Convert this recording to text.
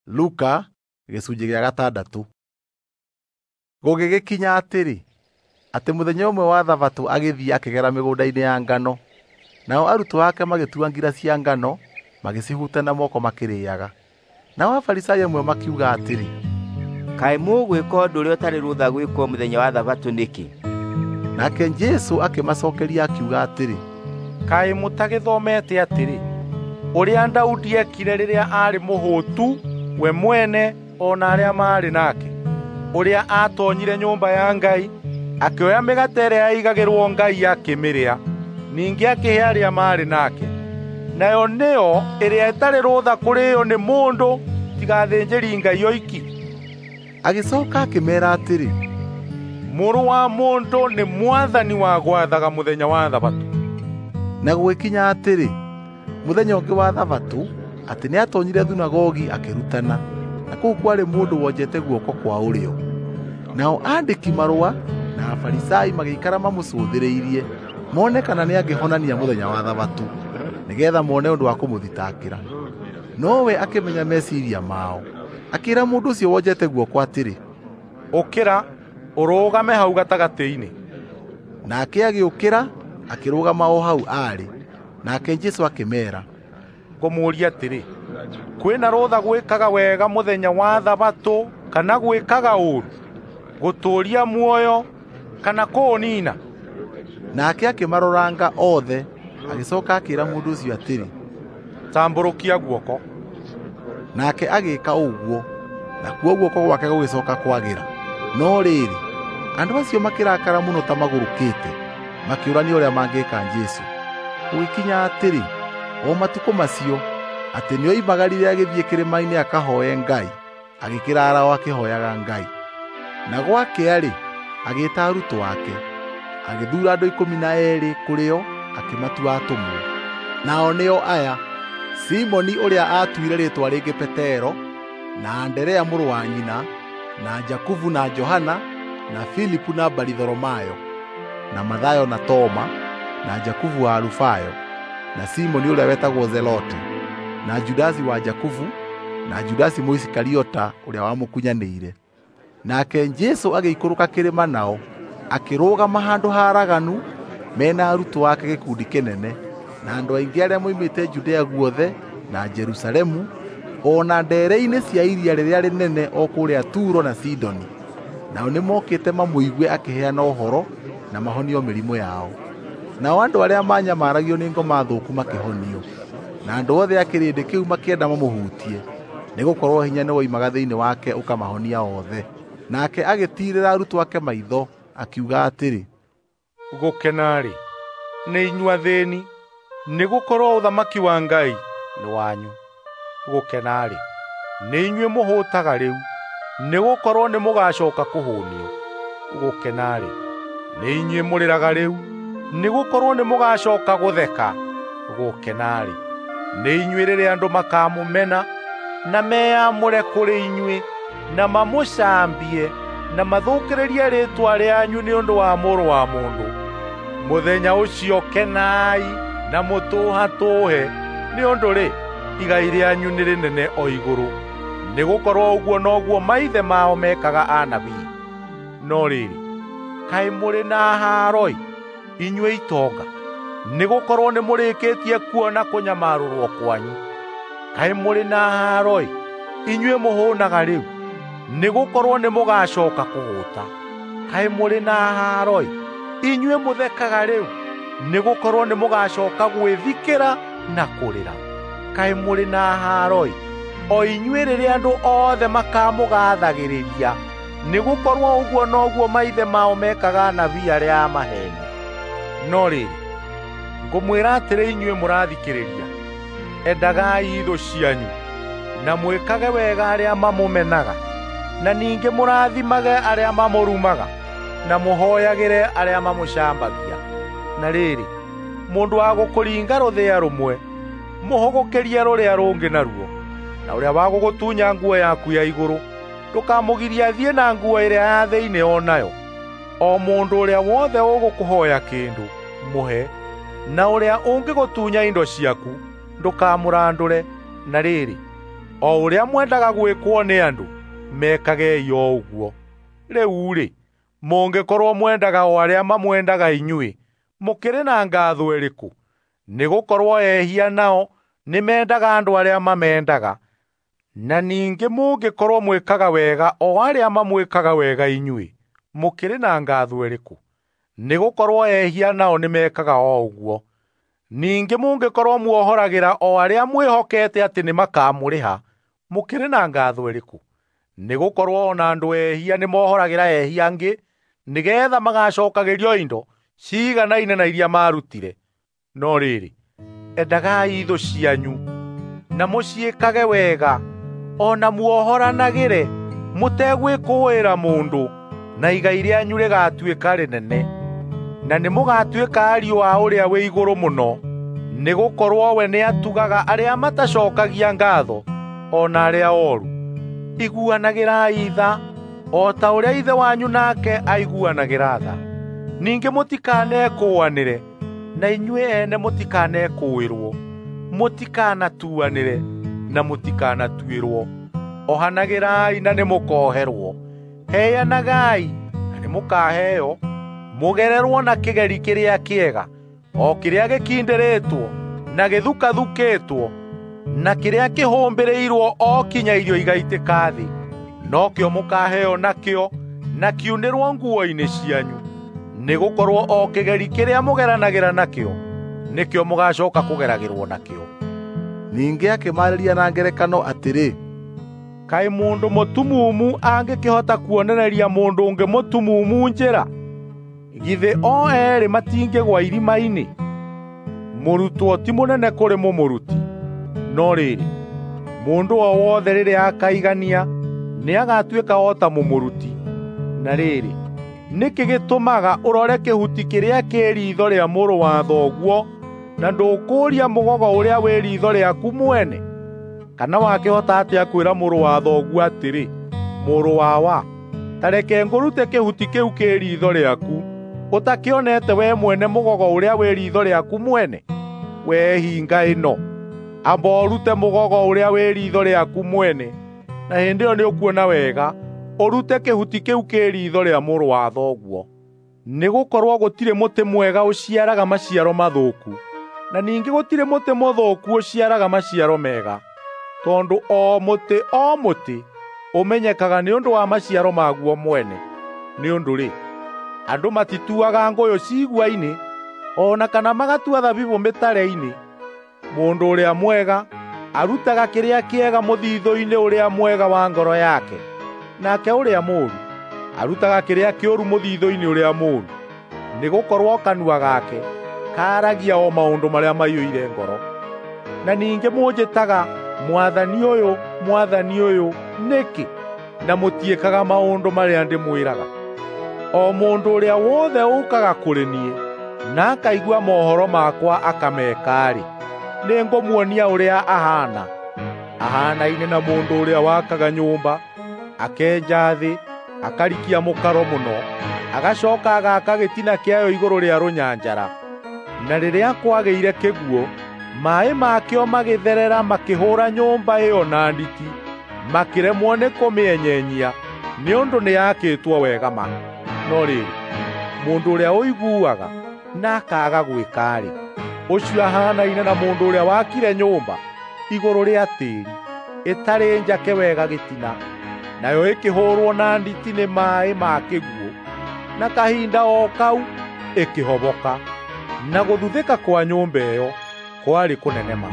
Luka gĩcunjĩ gĩa gatandatũ. Gũgĩgĩkinya atĩrĩ, atĩ mũthenya ũmwe wa Thabatũ agĩthiĩ akĩgera mĩgũnda-inĩ ya ngano, nao arutwo ake magĩtua ngira cia ngano magĩcihuta na moko makĩrĩĩaga. Nao Afarisai amwe makiuga atĩrĩ, "Kaĩ mũgwĩka ũndũ ũrĩa ũtarĩ rũtha gwĩkwo mũthenya wa Thabatũ nĩkĩ?" Nake Jesũ akĩmacookeria akiuga atĩrĩ, "Kaĩ mũtagĩthomete atĩrĩ, ũrĩa Daudi eekire rĩrĩa aarĩ mũhũtu we mwene o na arĩa maarĩ nake, ũrĩa aatoonyire nyũmba ya Ngai, akĩoya mĩgate ĩrĩa yaigagĩrwo Ngai akĩmĩrĩa, ningĩ akĩhe arĩa maarĩ nake. Nayo nĩyo ĩrĩa ĩtarĩ rũtha kũrĩĩo nĩ mũndũ tiga athĩnjĩri-Ngai oiki." Agĩcooka akĩmeera atĩrĩ, "Mũrũ wa Mũndũ nĩ mwathani wa gwathaga mũthenya wa Thabatũ." Na gũgĩkinya atĩrĩ, mũthenya ũngĩ wa Thabatũ, atĩ nĩatoonyire thunagogi akĩrutana, na kũu kwarĩ mũndũ wonjete guoko kwa ũrĩo. Nao aandĩki-marũa na Afarisai magĩikara mamũcũthĩrĩirie mone kana nĩangĩhonania mũthenya wa Thabatũ, nĩgeetha mone ũndũ wa kũmũthitangĩra. Nowe akĩmenya meciiria mao, akĩĩra mũndũ ũcio wonjete guoko atĩrĩ, "Ũkĩra, ũrũgame hau gatagatĩ-inĩ." Nake agĩũkĩra, akĩrũgama o hau aarĩ. Nake Jesũ akĩmeera, "Ngũmũũria atĩrĩ, kwĩna rũtha gwĩkaga wega mũthenya wa Thabatũ kana gwĩkaga ũũru, gũtũũria muoyo kana kũũniina?" Nake akĩmaroranga othe, agĩcooka akĩĩra mũndũ ũcio atĩrĩ, "Tambũrũkia guoko." Nake agĩĩka ũguo, nakuo guoko gwake gũgĩcooka kwagĩra. No rĩrĩ, andũ acio makĩrakara mũno ta magũrũkĩte, makĩũrania ũrĩa mangĩĩka Jesũ. Gũgĩkinya atĩrĩ, o matukũ macio, atĩ nĩoimagarire agĩthiĩ kĩrĩma-inĩ akahooe Ngai, agĩkĩraara o akĩhooyaga Ngai. Na gwakĩa-rĩ, agĩĩta arutwo ake, agĩthuura andũ 12 kũrĩ o, akĩmatua atũmwo. Nao nĩo aya: Simoni ũrĩa aatuire rĩĩtwa rĩngĩ Petero, na Anderea mũrũ wa nyina, na Jakubu na Johana, na Filipu na Baritholomayo, na Mathayo na Toma, na Jakubu wa Alufayo, na Simoni ũrĩa wetagwo Zelote, na Judasi wa Jakubu, na Judasi Mũisikariota ũrĩa wamũkunyanĩire. Nake Jesũ agĩikũrũka kĩrĩma nao, akĩrũgama handũ haaraganu mena arutwo ake gĩkundi kĩnene, na andũ aingĩ arĩa moimĩte Judea guothe na Jerusalemu, o na ndeere-inĩ cia iria rĩrĩa rĩnene o kũrĩa Turo na Sidoni. Nao nĩmokĩte mamũigue akĩheana ũhoro na mahonio mĩrimũ yao. Nao andũ arĩa maanyamaragio nĩ ngoma thũku makĩhonio, na andũ othe a kĩrĩndĩ kĩu makĩenda mamũhutie, nĩgũkorwo hinya nĩwoimaga thĩinĩ wake ũkamahonia othe. Nake agĩtiirĩra arutwo ake maitho, akiuga atĩrĩ, "Gũkena-rĩ, nĩ inyuĩ athĩĩni, nĩgũkorwo ũthamaki wa Ngai nĩ wanyu. Gũkena-rĩ, nĩ inyuĩ mũhũtaga rĩu, nĩgũkorwo nĩmũgacooka kũhũũnio. Gũkena-rĩ, nĩ inyuĩ mũrĩraga rĩu, nĩgũkorwo nĩmũgacooka gũtheka. Gũkena-rĩ, nĩ inyuĩ rĩrĩa andũ makamũmena na meyamũre kũrĩ inyuĩ, na mamũcambie na mathũkĩrĩrie rĩĩtwa rĩanyu nĩ ũndũ wa Mũrũ wa Mũndũ. Mũthenya ũcio kenai na mũtũhatũũhe, nĩ ũndũ-rĩ, igai rĩanyu nĩ rĩnene o igũrũ, nĩgũkorwo ũguo noguo maithe mao meekaga anabii. No rĩrĩ, kaĩ mũrĩ na haaro-ĩ, inyuĩ itonga, nĩgũkorwo nĩmũrĩkĩtie kuona kũnyamarũrwo kwanyu. Kaĩ mũrĩ na haaro-ĩ, inyuĩ mũhũũnaga rĩu, nĩgũkorwo nĩmũgacooka kũhũũta. Kaĩ mũrĩ na haaro-ĩ, inyuĩ mũthekaga rĩu, nĩgũkorwo nĩmũgacooka gwĩthikĩra na kũrĩra. Kaĩ mũrĩ na haaro-ĩ, o inyuĩ rĩrĩa andũ othe makamũgaathagĩrĩria, nĩgũkorwo ũguo noguo maithe mao meekaga anabii arĩa a maheeni. No rĩrĩ, ngũmwĩra atĩrĩ inyuĩ mũrathikĩrĩria, endagai thũ cianyu, na mwĩkage wega arĩa mamũmenaga, na ningĩ mũrathimage arĩa mamũrumaga, na mũhooyagĩre arĩa mamũcambagia. Na rĩrĩ, mũndũ wa gũkũringa rũthĩa rũmwe, mũhũgũkĩrie rũrĩa rũngĩ naruo, na ũrĩa wa gũgũtunya nguo yaku ya igũrũ, ndũkamũgirie athiĩ na nguo ĩrĩa ya thĩinĩ o nayo. O mũndũ ũrĩa wothe ũgũkũhooya kĩndũ, mũhe, na ũrĩa ũngĩgũtunya indo ciaku, ndũkamũrandũre. Na rĩrĩ, O ũrĩa mwendaga gwĩkwo nĩ andũ, mekagei o ũguo. Rĩu-rĩ, mũngĩkorwo mwendaga o arĩa mamwendaga inyuĩ, mũkĩrĩ na ngatho ĩrĩkũ? Nĩgũkorwo ehia nao nĩmendaga andũ arĩa mamendaga. Na ningĩ mũngĩkorwo mwĩkaga wega o arĩa mamwĩkaga wega inyuĩ, mũkĩrĩ na ngatho ĩrĩkũ? Nĩgũkorwo ehia nao nĩmekaga o ũguo. Ningĩ mũngĩkorwo muohoragĩra o arĩa mwĩhokete atĩ nĩmakamũrĩha, mũkĩrĩ na ngatho ĩrĩkũ? Nĩgũkorwo o na andũ ehia nĩmohoragĩra ehia angĩ, nĩgeetha magacookagĩrio indo ciiganaine na iria maarutire. No rĩrĩ, endagai thũ cianyu, na mũciĩkage wega, o na muohoranagĩre mũtegwĩkũĩra mũndũ, na igai rĩanyu rĩgatuĩka rĩnene. Na nĩmũgatuĩka ariũ a Ũrĩa wĩ Igũrũ Mũno, nĩgũkorwo we nĩatugaga arĩa matacookagia ngaatho, o na arĩa ooru. Iguanagĩrai tha, o ta ũrĩa Ithe wanyu nake aiguanagĩra tha. Ningĩ mũtikanekũũanĩre, na inyuĩ ene mũtikanekũũĩrwo. Mũtikanatuanĩre, na mũtikanatuĩrwo. Ohanagĩrai na nĩmũkoherwo. Heanagai na nĩmũkaheo. Mũgererwo na kĩgeri kĩrĩa kĩega, o kĩrĩa gĩkindĩrĩtwo na gĩthukathukĩtwo, na kĩrĩa kĩhũmbĩrĩirwo o kinya irio igaitĩka thĩ. Nokĩo mũkaheo nakĩo, na kiunĩrwo nguo-inĩ cianyu. Nĩgũkorwo o kĩgeri kĩrĩa mũgeranagĩra nakĩo, nĩkĩo mũgacooka kũgeragĩrwo nakĩo. Ningĩ akĩmaarĩria na ngerekano atĩrĩ, Kaĩ mũndũ mũtumumu angĩkĩhota kuonereria mũndũ ũngĩ mũtumumu njĩra? Githĩ o eerĩ matingĩgũa irima-inĩ? Mũrutwo ti mũnene kũrĩ mũmũruti. No rĩrĩ, mũndũ o wothe rĩrĩa akaigania nĩagatuĩka o ta mũmũruti. Na rĩrĩ, nĩkĩ gĩtũmaga ũrore kĩhuti kĩrĩa kĩ riitho rĩa mũrũ wa thoguo, na ndũkũũria mũgogo ũrĩa wĩ riitho rĩaku mwene? Kana wakĩhota atĩa kwĩra mũrũ wa thoguo atĩrĩ, 'Mũrũ wawa, ta reke ngũrute kĩhuti kĩu kĩ riitho rĩaku,' ũtakĩonete we mwene mũgogo ũrĩa wĩ riitho rĩaku mwene? Wee hinga ĩno, amba ũrute mũgogo ũrĩa wĩ riitho rĩaku mwene, na hĩndĩ ĩyo nĩũkuona wega ũrute kĩhuti kĩu kĩ riitho rĩa mũrũ wa thoguo. Nĩgũkorwo gũtirĩ mũtĩ mwega ũciaraga maciaro mathũku, na ningĩ gũtirĩ mũtĩ mũthũku ũciaraga maciaro mega, tondũ o mũtĩ o mũtĩ ũmenyekaga nĩ ũndũ wa maciaro maguo mwene. Nĩ ũndũ-rĩ, andũ matituaga ngũyũ cigua-inĩ, o na kana magatua thabibũ mĩtare-inĩ. Mũndũ ũrĩa mwega arutaga kĩrĩa kĩega mũthithũ-inĩ ũrĩa mwega wa ngoro yake, nake ũrĩa mũũru arutaga kĩrĩa kĩũru mũthithũ-inĩ ũrĩa mũũru. Nĩgũkorwo kanua gake kaaragia o maũndũ marĩa maiyũire ngoro. Na ningĩ mũnjĩtaga Mwathani ũyũ, Mwathani ũyũ, nĩkĩ? Na mũtiĩkaga maũndũ marĩa ndĩmwĩraga. O mũndũ ũrĩa wothe ũũkaga kũrĩ niĩ na akaigua mohoro makwa akameka-rĩ, nĩngũmuonia ũrĩa ahaana. Ahaanaine na mũndũ ũrĩa wakaga nyũmba, akenja thĩ, akarikia mũkaro mũno, agacoka agaaka gĩtina kĩayo igũrũ rĩa rũnyanjara. Na rĩrĩa kwagĩire kĩguũ, maaĩ makĩo magĩtherera makĩhũũra nyũmba ĩyo na nditi, makĩremwo nĩ kũmĩenyenyia, nĩ ũndũ nĩyakĩtwo wega ma. No rĩrĩ, mũndũ ũrĩa ũiguaga na akaaga gwĩka-rĩ, ũcio ahaanaine na mũndũ ũrĩa wakire nyũmba igũrũ rĩa tĩĩri, ĩtarĩ njake wega gĩtina, nayo ĩkĩhũũrwo na nditi nĩ maaĩ ma kĩguũ, na kahinda o kau ĩkĩhoboka, na gũthuthĩka kwa nyũmba ĩyo kwarĩ kũnene ma.